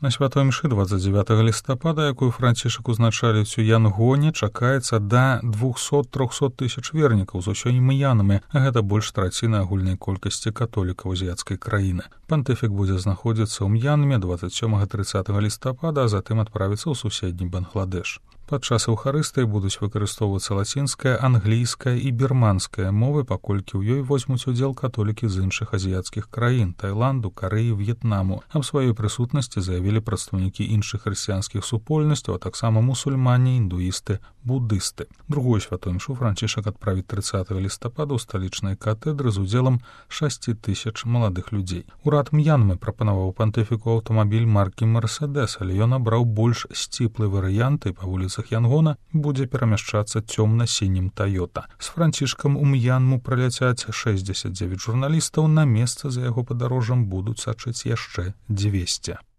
На святой мшы 29 лістапада, якую Францішак узначаліць у Янгоне, чакаецца да 200-300 тысяч вернікаў з усёй мьянмы, а гэта больш траціны агульнай колькасці католікаў азіяцкай краіны. Пантыфік будзе знаходзіцца ў Мьянме 27-30 лістапада, а затым адправіцца ў суседні Бангладеш. Падчас эўхарыстыі будуць выкарыстоўвацца лацінская, англійская і бірманская мовы, паколькі ў ёй возьмуць удзел католікі з іншых азіяцкіх краін – Таіланду, Карэі, В'етнаму. Аб сваёй прысутнасці заявілі прадстаўнікі іншых хрысціянскіх супольнасцяў, а таксама мусульмане, індуісты, буддысты. Другую святую мшу Францішак адправіць 30 лістапада ў сталічнай катэдры з удзелам 6 тысяч маладых людзей. Урад Мьянмы прапанаваў пантыфіку аўтамабіль маркі «Мерседес», але ён абраў больш сціплы варыянт і па вуліцах Янгона будзе перамяшчацца цёмна-сінім «Тойота». З Францішкам у Мьянму праляцяць 69 журналістаў, на месца за яго падарожжам будуць сачыць яшчэ 200.